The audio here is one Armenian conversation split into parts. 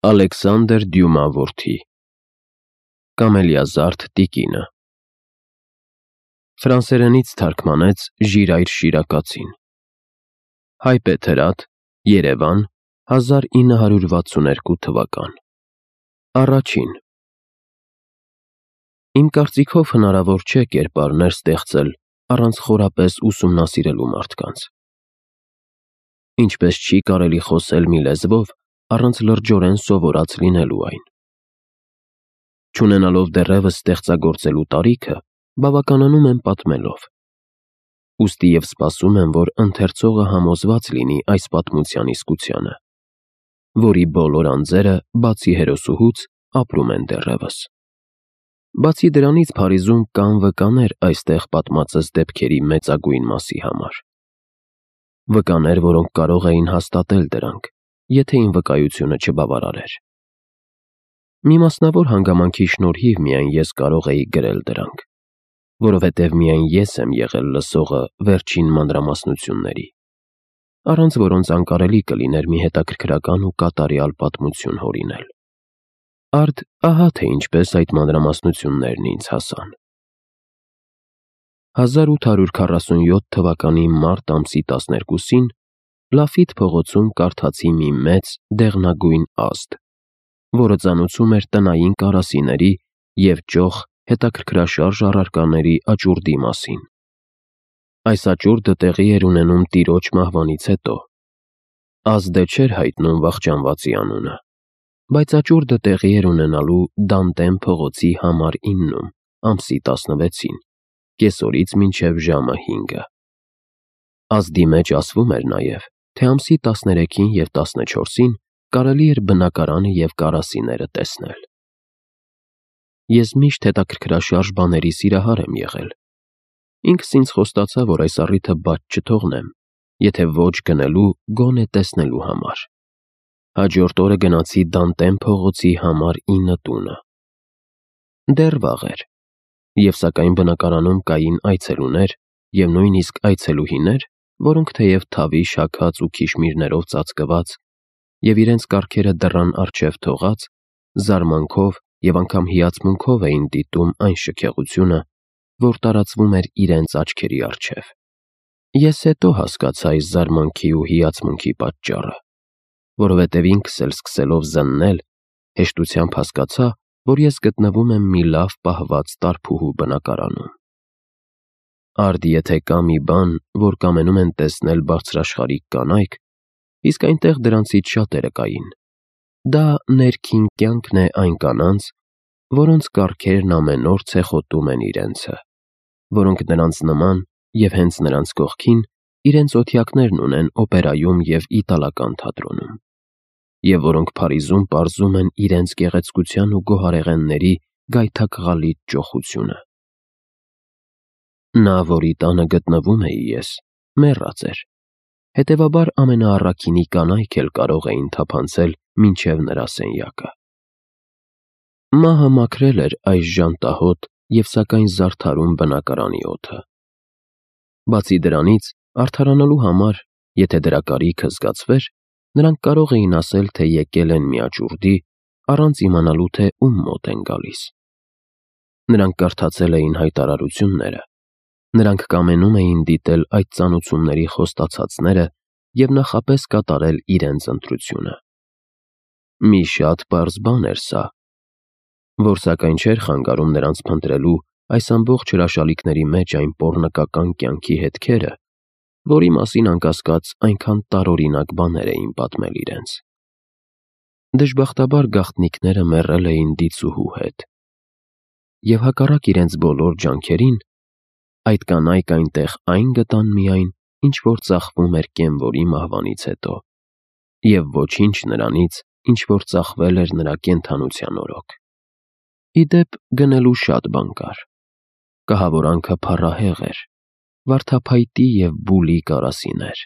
Ալեքսանդր Դյումա որդի Կամելիազարդ տիկինը Ֆրանսերենից թարգմանեց Ժիրայր Շիրակացին Հայ Պետերադ, Երևան, 1962 թվական Առաջին Իմ կարծիքով հնարավոր չէ կերպարներ ստեղծել առանց խորապես ուսումնասիրելու մարդկանց Ինչպես չի կարելի խոսել մի լեզվով առանց լրջորեն սովորած լինելու այն Չունենալով դեռևս ստեղծագործելու տարիքը, բավականանում եմ պատմելով Ուստի և սպասում եմ, որ ընթերցողը համոզված լինի այս պատմության իսկությանը, որի բոլոր անձերը, բացի հերոսուհուց, ապրում են դեռևս Բացի դրանից Փարիզում կան վկաներ այստեղ պատմածս դեպքերի մեծագույն մասի համար Վկաներ, որոնք կարող էին հաստատել դրանք, եթե իմ վկայությունը չբավարարեր Մի մասնավոր հանգամանքի շնորհիվ միայն ես կարող էի գրել դրանք, որովհետև միայն ես եմ եղել լսողը վերջին մանրամասնությունների, առանց որոնց անկարելի կլիներ մի հետաքրքրական ու կատարյալ պատմություն հորինել Արդ ահա թե ինչպես այդ մանրամասնություններն ինձ հասան 1847 թվականի մարտ ամսի 12-ին Լաֆիտ փողոցում կարդացի մի մեծ, դեղնագույն ազդ, որը ծանուցում էր տնային կարասիների և ճոխ հետաքրքրաշարժ առարկաների աճուրդի մասին Այս աճուրդը տեղի էր ունենում տիրոջ մահվանից հետո Ազդը չէր հայտնում վախճանվածի անունը, բայց աճուրդը տեղի էր ունենալու Դանտեն փողոցի համար 9-ում, ամսի 16-ին, կեսօրից մինչև ժամը 5-ը Ազդի մեջ ասվում էր նաև, թե ամսի 13-ին և 14-ին կարելի էր բնակարանը և կարասիները տեսնել Ես միշտ հետաքրքրաշարժ բաների սիրահար եմ եղել Ինքս ինձ խոստացա, որ այս առիթը բաց չթողնեմ, եթե ոչ գնելու, գոնե տեսնելու համար Հաջորդ օրը գնացի Դանտեն փողոցի համար 9 տունը Դեռ վաղ էր, և սակայն բնակարանում կային այցելուներ և նույնիսկ այցելուհիներ, որոնք թեև թավի շաքած ու քիշմիրներով ծածկված և իրենց կառքերը դռան առջև թողած, զարմանքով և անգամ հիացմունքով էին դիտում այն շքեղությունը, որ տարածվում էր իրենց աչքերի առջև Ես հետո հասկացա այս զարմանքի ու հիացմունքի պատճառը, որովհետև ինքս էլ սկսելով զննել, հեշտությամբ հասկացա, որ ես գտնվում եմ մի լավ պահված տարփուհու բնակարանում Արդ եթե կա մի բան, որ կամենում են տեսնել բարձրաշխարհիկ կանայք, իսկ այնտեղ դրանցից շատերը կային, դա ներքին կյանքն է այն կանանց, որոնց կառքերն ամեն օր ցեխոտում են իրենցը, որոնք նրանց նման և հենց նրանց կողքին իրենց օթյակներն ունեն օպերայում և իտալական թատրոնում, և որոնք Փարիզում պարզում են իրենց գեղեցկության ու գոհարեղենների գայթակղալից ճոխությունը Նա, որի տանը գտնվում էի ես, մեռած էր, հետևաբար ամենաառաքինի կանայք էլ կարող էին թափանցել մինչև նրա սենյակը Մահը մաքրել էր այս ժանտահոտ և սակայն զարդարուն բնակարանի օդը Բացի դրանից, արդարանալու համար, եթե դրա կարիքը զգացվեր, նրանք կարող էին ասել, թե եկել են մի աճուրդի, առանց իմանալու, թե ում մոտ են գալիս Նրանք կարդացել էին հայտարարությունները, նրանք կամենում էին դիտել այդ ծանուցումների խոստացածները և նախապես կատարել իրենց ընտրությունը Մի շատ պարզ բան էր սա, որ սակայն չէր խանգարում նրանց փնտրելու այս ամբողջ հրաշալիքների մեջ այն պոռնկական կյանքի հետքերը, որի մասին անկասկած այնքան տարօրինակ բաներ էին պատմել իրենց Դժբախտաբար գաղտնիքները մեռել էին դիցուհու հետ Եվ հակառակ իրենց բոլոր ջանքերին, այդ կանայք այնտեղ այն գտան միայն, ինչ որ ծախվում էր կենվորի մահվանից հետո և ոչինչ նրանից, ինչ որ ծախվել էր նրա կենդանության օրոք Ի դեպ, գնելու շատ բան կար Կահավորանքը փառահեղ էր, վարդափայտի և բուլի կարասիներ,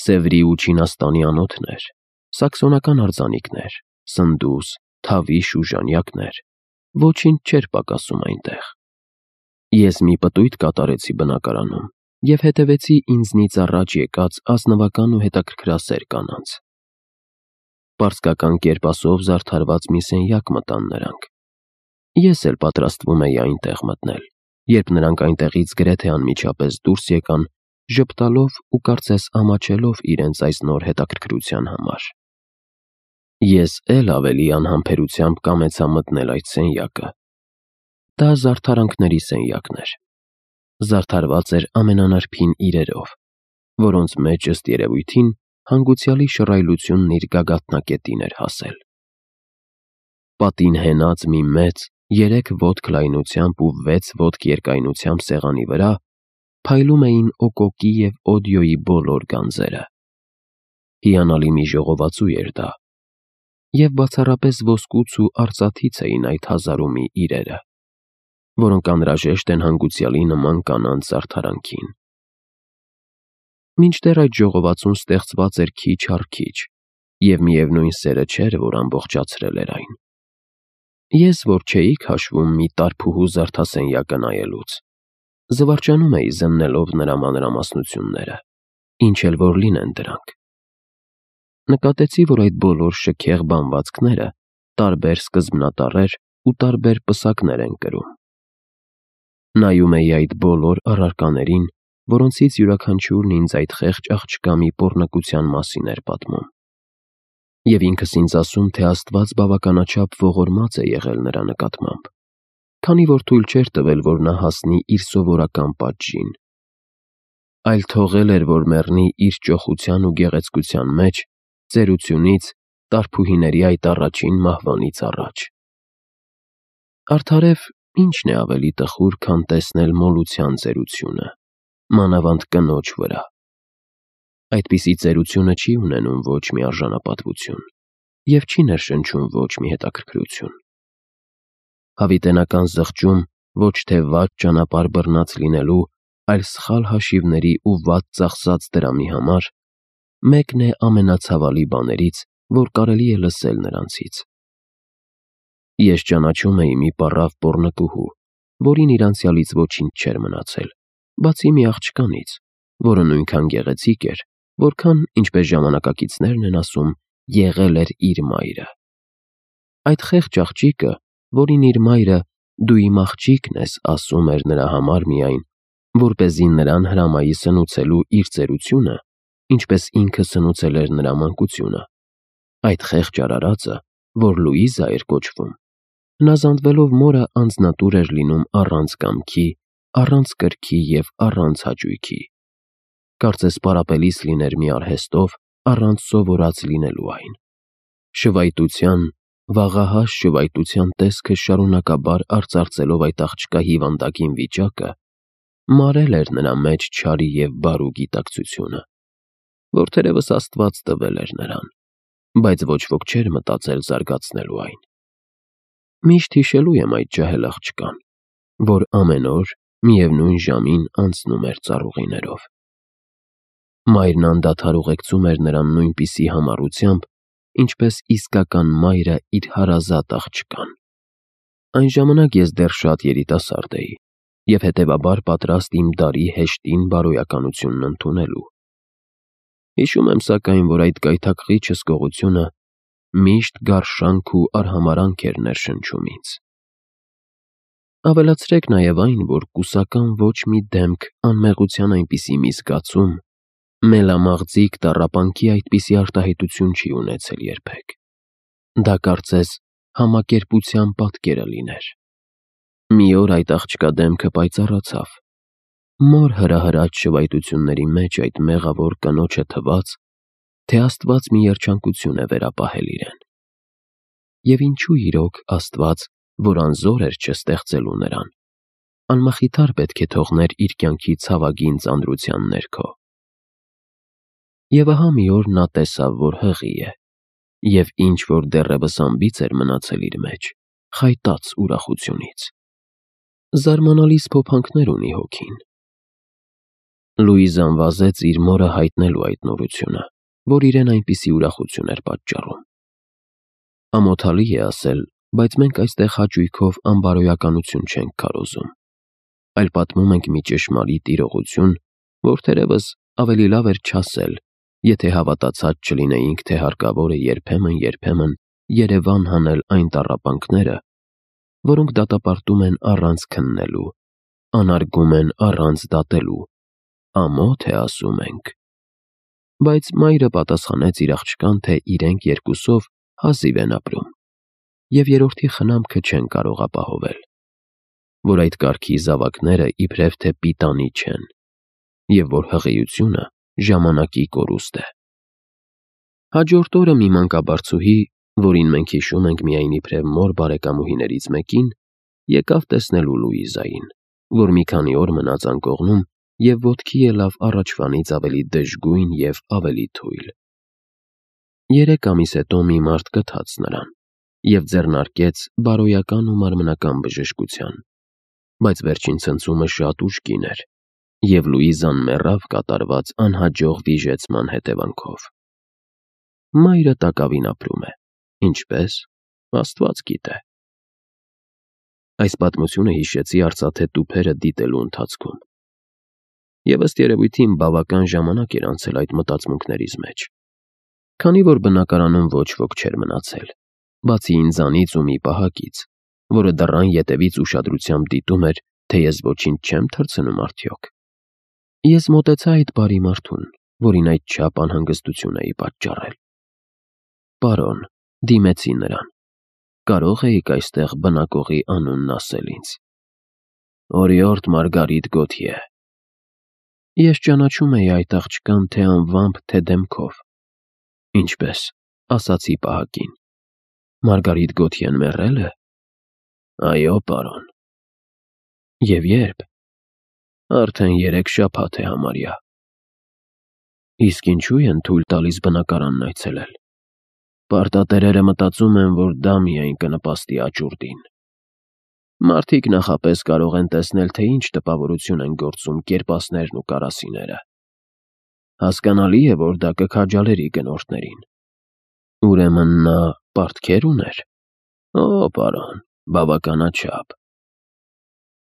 Սևրի ու Չինաստանի անոթներ, սաքսոնական արձանիկներ, սնդուս, թավիշ ու ժանյակներ, ոչինչ չէր պակասում այնտեղ Ես մի պտույտ կատարեցի բնակարանում և հետևեցի ինձնից առաջ եկած ազնվական ու հետաքրքրասեր կանանց Պարսկական կերպասով զարդարված մի սենյակ մտան նրանք։ Ես էլ պատրաստվում էի այնտեղ մտնել, երբ նրանք այնտեղից գրեթե անմիջապես դուրս եկան, ժպտալով ու կարծես ամաչելով իրենց այս նոր հետաքրքրության համար։ Ես էլ ավելի անհամբերությամբ կամեցա մտնել այդ սենյակը։ Դա զարդարանքների սենյակն էր։ Զարդարված էր ամենանրբին իրերով, որոնց մեջ ըստ երևույթին հանգուցյալի շռայլությունն իր գագաթնակետին էր հասել։ Պատին հենած մի մեծ 3 ոտք լայնությամբ ու 6 ոտք երկայնությամբ սեղանի վրա փայլում էին օկոկի և օդիոյի բոլոր գանձերը։ Հիանալի մի ժողովածու էր դա, և բացառապես ոսկուց ու արծաթից էին այդ հազարումի իրերը, որոնք անհրաժեշտ են հանգուցյալի նման կանանց զարդարանքին։ Մինչդեռ այդ ժողովածուն ստեղծված էր քիչ առ քիչ, և միևնույն սերը չէր, որ ամբողջացրել էր այն։ Ես, որ չէի քաշվում մի տարփուհու զարդասենյակը նայելուց, զվարճանում էի զննելով նրա մանրամասնությունները, ինչ էլ որ լինեն դրանք։ Նկատեցի, որ այդ բոլոր շքեղ բանվածքները տարբեր սկզբնատառեր ու տարբեր պսակներ են կրում։ Նայում էի այդ բոլոր առարկաներին, որոնցից յուրաքանչյուրն ինձ այդ խեղճ աղջկա մի պոռնկության մասին էր պատմում։ Եվ ինքս ինձ ասում, թե Աստված բավականաչափ ողորմած է եղել նրա նկատմամբ, քանի որ թույլ չէր տվել, որ նա հասնի իր սովորական պատժին, այլ թողել էր, որ մեռնի իր ճոխության ու գեղեցկության մեջ, ծերությունից, տարփուհիների այդ առաջին մահվանից առաջ։ Արդարև ի՞նչն է ավելի տխուր, քան տեսնել մոլության ծերությունը, մանավանդ կնոջ վրա։ Այդպիսի ծերությունը չի ունենում ոչ մի արժանապատվություն և չի ներշնչում ոչ մի հետաքրքրություն։ Հավիտենական զղջում ոչ թե վատ ճանապարհ բռնած լինելու, այլ սխալ հաշիվների ու վատ ծախսած դրամի համար մեկն է ամենացավալի բաներից, որ կարելի է լսել նրանցից։ Ես ճանաչում էի մի պառավ պոռնկուհու, որին իր անցյալից ոչինչ չէր մնացել, բացի մի աղջկանից, որը նույնքան գեղեցիկ էր, որքան, ինչպես ժամանակակիցներն են ասում, եղել էր իր մայրը։ Այդ խեղճ աղջիկը, որին իր մայրը «դու իմ աղջիկն ես» ասում էր նրա համար միայն, որպեսզի նրան հրամայի սնուցելու իր ծերությունը, ինչպես ինքը սնուցել էր նրա մանկությունը, այդ խեղճ արարածը, որ Լուիզա էր կոչվում, հնազանդվելով մորը անձնատուր էր լինում առանց կամքի, առանց կրքի և առանց հաճույքի։ Կարծես պարապելիս լիներ մի արհեստով, առանց սովորած լինելու այն։ Շվայտության, վաղահաս շվայտության տեսքը շարունակաբար արծարծելով այդ աղջկա հիվանդագին վիճակը, մարել էր նրա մեջ չարի և բարու գիտակցությունը, որ թերևս Աստված տվել էր նրան, բայց ոչ ոք չէր մտածել զարգացնելու այն։ Միշտ հիշելու եմ այդ ջահել աղջկան, որ ամեն օր միևնույն ժամին անցնում էր ծառուղիներով։ Մայրն անդադար ուղեկցում էր նրան նույնպիսի համառությամբ, ինչպես իսկական մայրը իր հարազատ աղջկան։ Այն ժամանակ ես դեռ շատ երիտասարդ էի և հետևաբար պատրաստ իմ դարի հեշտին բարոյականությունն ընդունելու։ Հիշում եմ սակայն, որ այդ գայթակղիչ հսկողությունը միշտ գարշանք ու արհամարհանք էր ներշնչում ինձ։ Ավելացրեք նաև այն, որ կուսական ոչ մի դեմք անմեղության այնպիսի մի զգացում, մելամաղձիկ տառապանքի այդպիսի արտահայտություն չի ունեցել երբեք։ Դա կարծես համակերպության պատկերը լիներ։ Մի օր այդ աղջկա դեմքը պայծառացավ, մոր հրահրած շվայտությունների մեջ այդ մեղավոր կնոջը թվաց, թե Աստված մի երջանկություն է վերապահել իրեն։ Եվ ինչու իրոք Աստված, որ անզոր էր չստեղծելու նրան, անմխիթար պետք է թողներ իր կյանքի ցավագին ծանրության ներքո։ Եվ ահա մի օր նա տեսավ, որ հղի է, և ինչ որ դեռևս անբիծ էր մնացել իր մեջ, խայտաց ուրախությունից։ Զարմանալի սփոփանքներ ունի հոգին։ Լուիզան վազեց իր մորը հայտնելու այդ նորությունը, որ իրեն այնպիսի ուրախություն էր պատճառում։ Ամոթալի է ասել, բայց մենք այստեղ հաճույքով անբարոյականություն չենք քարոզում, այլ պատմում ենք մի ճշմարիտ իրողություն, որ թերևս ավելի լավ էր չասել եթե հավատացած չլինեինք, թե հարկավոր է երբեմն Երևան հանել այն տառապանքները, որոնք դատապարտում են առանց քննելու, անարգում են առանց դատելու, ամոթ է ասում ենք։ Բայց մայրը պատասխանեց իր աղջկան, թե իրենք երկուսով հազիվ են ապրում, և երրորդի խնամքը չեն կարող ապահովել, որ այդ կարգի զավակները իբրև թե պիտանի չեն, և որ հղիությունը ժամանակի կորուստ է։ Հաջորդ օրը մի մանկաբարձուհի, որին մենք հիշում ենք միայն իբրև մոր բարեկամուհիներից մեկին, եկավ տեսնելու Լուիզային, որ մի քանի օր մնաց անկողնում և ոտքի ելավ առաջվանից ավելի դժգույն և ավելի թույլ։ 3 ամիս հետո մի մարդ գթաց նրան և ձեռնարկեց բարոյական ու մարմնական բժշկության, բայց վերջին ցնցումը շատ ուժգին էր, և Լուիզան մեռավ կատարված անհաջող վիժեցման հետևանքով։ Մայրը տակավին ապրում է, ինչպես, Աստված գիտե։ Այս պատմությունը հիշեցի արծաթե տուփերը դիտելու ընթացքում, և ըստ երևույթին բավական ժամանակ էր անցել այդ մտածմունքներիս մեջ, քանի որ բնակարանում ոչ ոք չէր մնացել, բացի ինձանից ու մի պահակից, որը դռան ետևից ուշադրությամբ դիտում էր, թե ես ոչինչ չեմ թռցնում արդյոք։ Ես մոտեցա այդ բարի մարդուն, որին այդչափ անհանգստություն էի պատճառել։ Պարոն, դիմեցի նրան, կարող էիք այստեղ բնակողի անունն ասել ինձ։ Օրիորդ Մարգարիտ Գոթյե։ Ես ճանաչում էի այդ աղջկան թե անվամբ, թե դեմքով։ Ինչպես, ասացի պահակին։ Մարգարիտ Գոթյեն մեռել է։ Այո, պարոն։ Եվ երբ։ Արդեն 3 շաբաթ է համարյա։ Իսկ ինչու են թույլ տալիս բնակարանն այցելել։ Պարտատերերը մտածում են, որ դա միայն կնպաստի աճուրդին։ Մարդիկ նախապես կարող են տեսնել, թե ինչ տպավորություն են գործում կերպասներն ու կարասիները։ Հասկանալի է, որ դա կքաջալերի գնորդներին։ Ուրեմն նա պարտքեր ուներ։ Օ, պարոն, բավականաչափ։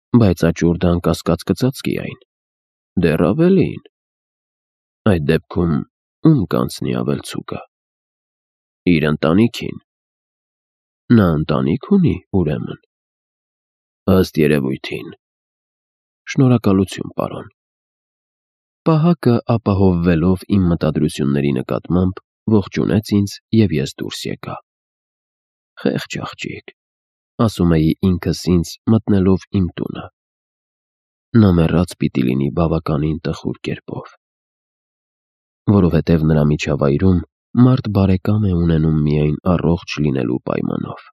Բայց աճուրդը անկասկած կծածկի այն։ Դեռ ավելին։ Այդ դեպքում ում կանցնի ավելցուկը։ Իր ընտանիքին։ Նա ընտանիք ունի, ուրեմն։ Ըստ երևույթին։ Շնորհակալություն, պարոն։ Պահակը ապահովվելով իմ մտադրությունների նկատմամբ, ողջունեց ինձ և ես դուրս եկա։ Խեղճ աղջիկ, ասում էի ինքս ինձ մտնելով իմ տունը։ Նա մեռած պիտի լինի բավականին տխուր կերպով։ Որովհետև նրա միջավայրում մարդ բարեկամ է ունենում միայն առողջ լինելու պայմանով։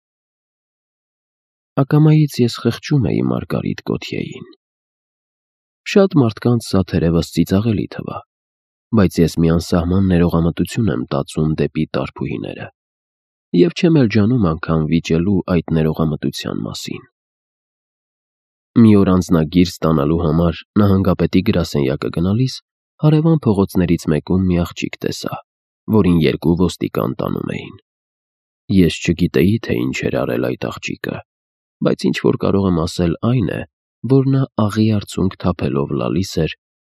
Ակամայից ես խղճում էի Մարգարիտ Գոթյեին։ Շատ մարդկանց սա թերևս ծիծաղելի թվա, բայց ես մի անսահման ներողամտություն եմ տածում դեպի տարբուհիները, և չեմ էլ ջանում անգամ վիճելու այդ ներողամտության մասին։ Մի օր անձնագիր ստանալու համար նահանգապետի գրասենյակը գնալիս հարևան փողոցներից մեկում մի աղջիկ տեսա, որին 2 ոստիկան տանում էին։ Ես չգիտեի, թե ինչ էր արել այդ աղջիկը, բայց ինչ որ կարող եմ ասել այն է, որ նա աղի արցունք թափելով լալիս էր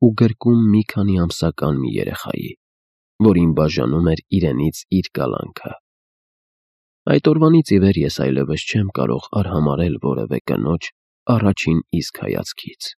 ու գրկում մի քանի ամսական մի երեխայի, որին բաժանում էր իրենից իր կալանքը։ Այդ օրվանից ի վեր ես այլևս չեմ կարող արհամարհել որևէ կնոջ առաջին իսկ հայացքից։